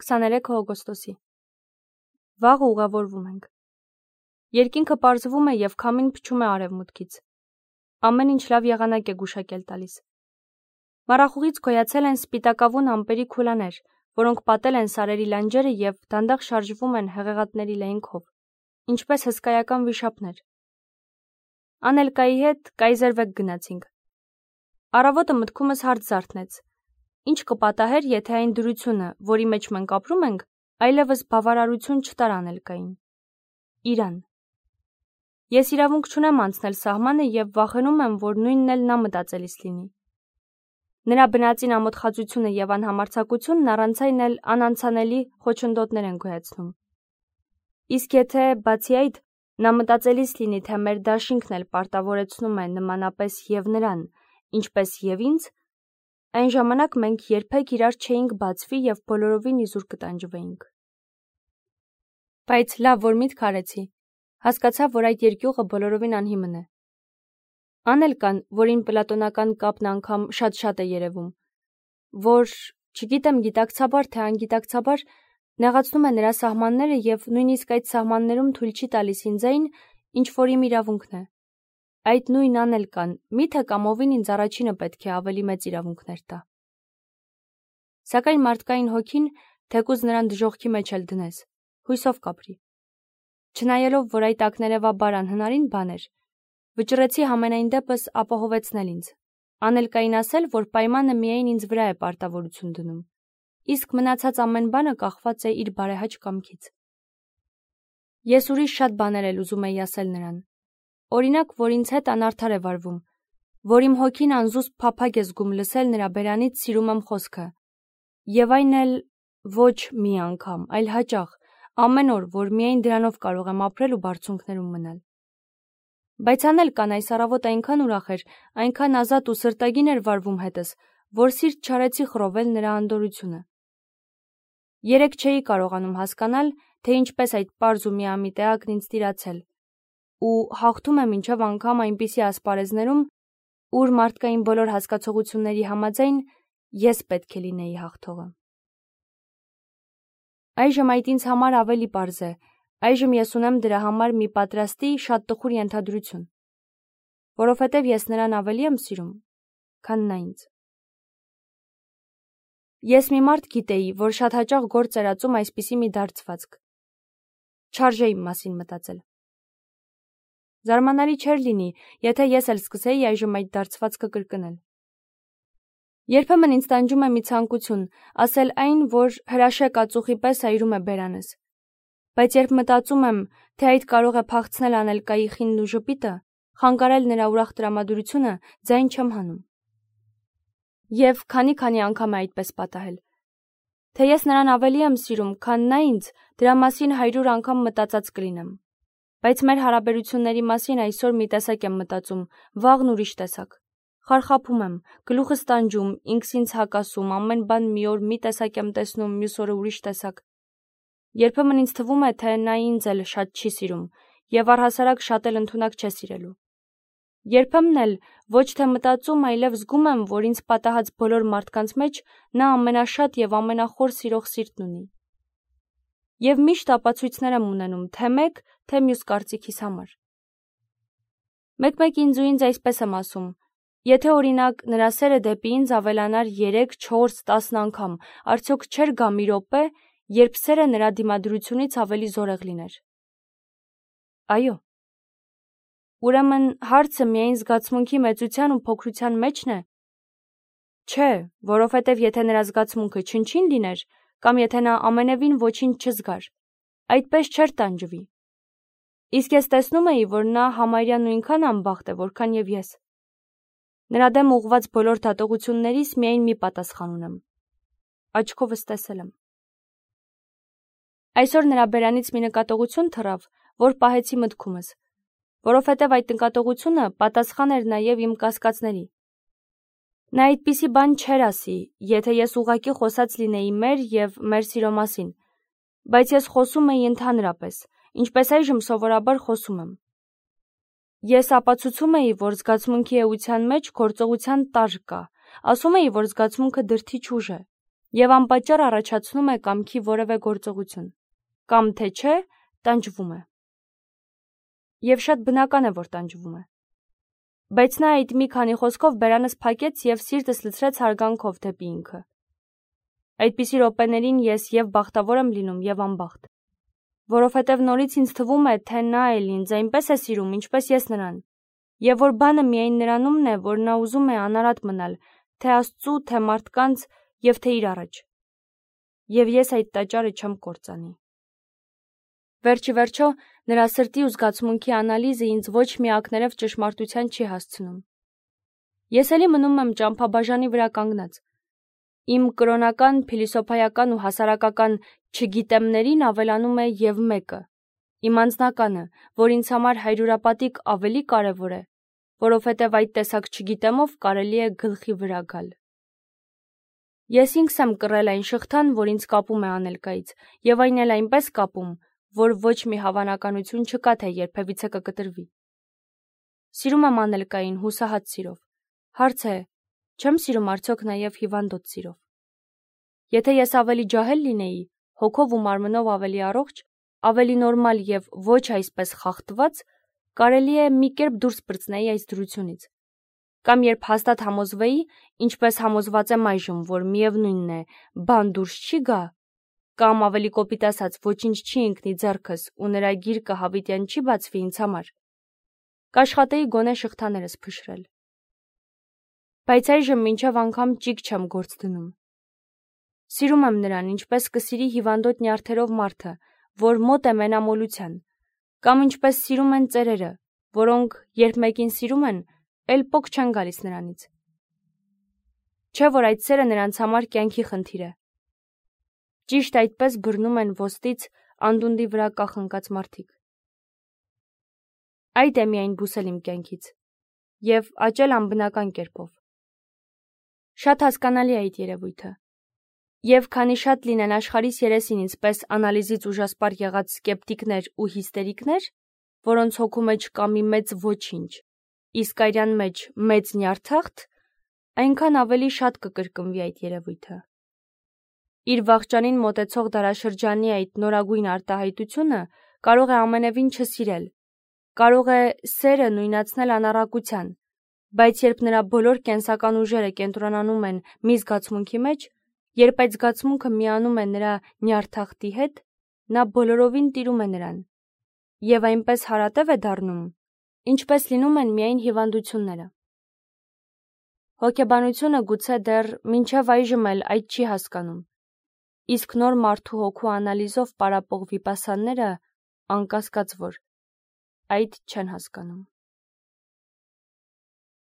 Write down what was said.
23 օգոստոսի։ Վաղը ուղևորվում ենք։ Երկինքը պարզվում է և քամին փչում է արևմուտքից։ Ամեն ինչ լավ եղանակ է գուշակել տալիս։ Մառախուղից գոյացել են սպիտակավուն ամպերի քուլաներ, որոնք պատել են սարերի լանջերը և դանդաղ շարժվում են հեղեղատների լայնքով, ինչպես հսկայական վիշապներ։ Անելկայի հետ կայզերվեկ գնացինք։ Առավոտը մտքումս հարց զարթնեց. ինչ կպատահեր, եթե այն դրությունը, որի մեջ մենք ապրում ենք, այլևս բավարարություն չտար Անելկային։ Իրան։ Ես իրավունք չունեմ անցնել սահմանը և վախենում եմ, որ նույնն էլ նա մտածելիս լինի։ Նրա բնածին ամոթխածությունը և անհամարձակությունն առանց այն էլ անանցանելի խոչընդոտներ են գոյացնում։ Իսկ եթե, բացի այդ, նա մտածելիս լինի, թե մեր դաշինքն էլ պարտավորեցնում է նմանապես և նրան, ինչպես և ինձ, այն ժամանակ մենք երբեք իրար չէինք բացվի և բոլորովին իզուր կտանջվեինք։ Բայց լավ, որ միտք արեցի, հասկացա, որ այդ երկյուղը բոլորովին անհիմն է։ Անելկան, որին պլատոնական կապն անգամ շատ է երևում, որ, չգիտեմ գիտակցաբար թե անգիտակցաբար, նեղացնում է նրա սահմանները և նույնիսկ այդ սահմաններում թույլ չի տալիս ինձ այն, ինչ որ իմ իրավունքն է։ Այդ նույն Անելկան, միթե կամովին ինձ առաջինը պետք է ավելի մեծ իրավունքներ տա։ Սակայն մարդկային հոգին, թեկուզ նրան դժոխքի մեջ էլ դնես, հույսով կապրի։ Չնայելով, որ այդ ակներևաբար անհնարին բան էր, վճռեցի համենայն դեպս ապահովեցնել ինձ, Անելկային ասել, որ պայմանը միայն ինձ վրա է պարտավորություն դնում, իսկ մնացած ամեն բանը կախված է իր բարեհաճ կամքից։ Ես ուրիշ շատ բաներ էլ ուզում էի ասել նրան, օրինակ, որ ինձ հետ անարդար է վարվում, որ իմ հոգին անզուսպ փափագ է զգում լսել նրա բերանից սիրում եմ խոսքը, և այն էլ ոչ մի անգամ, այլ հաճախ, ամեն օր, որ միայն դրանով կարող եմ ապրել ու բարձունքներում մնալ։ Բայց Անելկան այս առավոտ այնքան ուրախ էր, այնքան ազատ ու սրտագին էր վարվում հետս, որ սիրտ չարեցի խռովել նրա անդորրությունը։ Երեկ չէի կարողանում հասկանալ, թե ինչպես այդ պարզ ու միամիտ էակն ինձ տիրացել, ու հաղթում է մինչև անգամ այնպիսի ասպարեզներում, ուր մարդկային բոլոր հասկացողությունների համաձայն ես պետք է լինեի հաղթողը։ Այժմ այդ ինձ համար ավելի պարզ է, այժմ ես ունեմ դրա համար մի պատրաստի շատ տխուր ենթադրություն, որովհետև ես նրան ավելի եմ սիրում, քան նա ինձ։ Ես մի մարդ գիտեի, որ շատ հաճախ գործ էր ածում այսպիսի մի դարձվածք։ Չարժե իմ մասին մտածել։ Զարմանալի չէր լինի, եթե ես էլ սկսեի այժմ այդ դարձվածքը կրկնել։ Երբեմն ինձ տանջում է մի ցանկություն, ասել այն, որ հրաշեկ ածուխի պես այրում է բերանս։ Բայց երբ մտածում եմ, թե այդ կարող է փախցնել Անելկայի խինն ու ժպիտը, խանգարել նրա ուրախ տրամադրությունը, ձայն չեմ հանում։ Եվ քանի անգամ է այդպես պատահել։ Թե ես նրան ավելի եմ սիրում, քան նա ինձ, դրա մասին 100 անգամ մտածած կլինեմ։ Բայց մեր հարաբերությունների մասին այսօր մի տեսակ եմ մտածում, վաղն ուրիշ տեսակ։ Խարխափում եմ, գլուխս տանջում, ինքս ինձ հակասում, ամեն բան մի օր մի տեսակ եմ տեսնում, մյուս օրը ուրիշ տեսակ։ Երբեմն ինձ թվում է, թե նա ինձ էլ շատ չի սիրում, և առհասարակ շատ էլ ընդունակ չէ սիրելու։ Երբեմն էլ ոչ թե մտածում, այլև զգում եմ, որ ինձ պատահած բոլոր մարդկանց մեջ նա ամենաշատ և ամենախոր սիրող սիրտն ունի։ Եվ միշտ ապացույցներ եմ ունենում, թե մեկ, թե մյուս կարծիքիս համար։ Մեկ-մեկ ինձ ու ինձ այսպես եմ ասում. եթե օրինակ նրա սերը դեպի ինձ ավելանար 3, 4, 10 անգամ, արդյոք չէր գա մի րոպե, երբ սերը նրա դիմադրությունից ավելի զորեղ լիներ։ Այո։ Ուրեմն հարցը միայն զգացմունքի մեծության ու փոքրության մեջն է։ Չէ, որովհետև եթե նրա զգացմունքը չնչին լիներ, կամ եթե նա ամենևին ոչինչ չզգար, այդպես չէր տանջվի։ Իսկ ես տեսնում էի, որ նա համարյա նույնքան անբախտ է, որքան և ես։ Նրա դեմ ուղղված բոլոր դատողություններիս միայն մի պատասխան ունեմ. աչքովս տեսել եմ։ Այսօր նրա բերանից մի նկատողություն թռավ, որ պահեցի մտքումս, որովհետև այդ նկատողությունը պատասխան էր նաև իմ կասկածների։ Նա այդպիսի բան չէր ասի, եթե ես ուղղակի խոսած լինեի մեր և մեր սիրո մասին, բայց ես խոսում էի ընդհանրապես, ինչպես այժմ սովորաբար խոսում եմ։ Ես ապացուցում էի, որ զգացմունքի էության մեջ գործողության տարր կա, ասում էի, որ զգացմունքը դրդիչ ուժ է, եւ անպատճառ առաջացնում է կամքի որևէ գործողություն, կամ թե չէ, տանջվում է։ Եվ շատ բնական է, որ տանջվում է։ Բայց նա այդ մի քանի խոսքով բերանս փակեց եւ սիրտս լցրեց հարգանքով դեպի ինքը։ Այդպիսի րոպեներին ես եւ բախտավոր եմ լինում եւ անբախտ, որովհետեւ նորից ինձ թվում է, թե նա էլ ինձ այնպես է սիրում, ինչպես ես նրան, եւ որ բանը միայն նրանումն է, որ նա ուզում է անարատ մնալ, թե Աստծու, թե մարդկանց եւ թե իր առաջ։ Եվ ես այդ տաճարը չեմ կործանի։ Վերջիվերջո, նրա սրտի ու զգացմունքի անալիզը ինձ ոչ մի ակներև ճշմարտության չի հասցնում։ Ես էլի մնում եմ ճամփաբաժանի վրա կանգնած։ Իմ կրոնական, փիլիսոփայական ու հասարակական չգիտեմներին ավելանում է եւ մեկը, իմ անձնականը, որ ինձ համար հայրուրապատիկ ավելի կարևոր է, որովհետեւ այդ տեսակ չգիտեմով կարելի է գլխի վրա գալ։ Ես ինքս եմ կռել այն շղթան, որ ինձ կապում է Անելկայից, եւ այն էլ այնպես կապում, որ ոչ մի հավանականություն չկա, թե երբևիցե կկտրվի։ Սիրում եմ Անելկային հուսահատ սիրով։ Հարց է, չեմ սիրում արդյոք նաև հիվանդոտ սիրով։ Եթե ես ավելի ջահել լինեի, հոգով ու մարմնով ավելի առողջ, ավելի նորմալ եւ ոչ այսպես խախտված, կարելի է մի կերպ դուրս պրծնեի այս դրությունից։ Կամ երբ հաստատ համոզվեի, ինչպես համոզված եմ այժմ, որ միևնույնն է, բան դուրս չի գա, կամ ավելի կոպիտ ասած, ոչինչ չի ընկնի ձեռքս ու նրա գիրկը հավիտյան չի բացվի ինձ համար, կաշխատեի գոնե շղթաներս փշրել։ Բայց այժմ մինչև անգամ ճիգ չեմ գործ դնում։ Սիրում եմ նրան, ինչպես կսիրի հիվանդոտ նյարդերով մարդը, որ մոտ է մենամոլության, կամ ինչպես սիրում են ծերերը, որոնք, երբ մեկին սիրում են, էլ պոկ չեն գալիս նրանից։ Չէ՞ որ այդ սերը նրանց համար կյանքի խնդիր է։ Ճիշտ այդպես բռնում են ոստից անդունդի վրա կախնկած մարդիկ։ Այդ է միայն բուսել իմ կյանքից եւ աճել անբնական կերպով։ Շատ հասկանալի է այդ երևույթը։ Եվ քանի շատ լինեն աշխարհիս երեսին ինձպես անալիզից ուժասպառ եղած սկեպտիկներ ու հիստերիկներ, որոնց հոգու մեջ կա մի մեծ ոչինչ, իսկ այրան մեջ մեծ նյարդախտ, այնքան ավելի շատ կկրկնվի այդ երևույթը։ Իր վախճանին մոտեցող դարաշրջանի այդ նորագույն արտահայտությունը կարող է ամենևին չսիրել, կարող է սերը նույնացնել անառակության, բայց երբ նրա բոլոր կենսական ուժերը կենտրոնանում են մի զգացմունքի մեջ, երբ այդ զգացմունքը միանում է նրա նյարդախտի հետ, նա բոլորովին տիրում է նրան, եւ այնպես հարատև է դառնում, ինչպես լինում են միայն հիվանդությունները։ Հոգեբանությունը գուցե դեռ մինչև այժմ էլ այդ չի հասկանում, իսկ նոր մարդու հոգու անալիզով պարապող վիպասանները, անկասկած որ, այդ չեն հասկանում։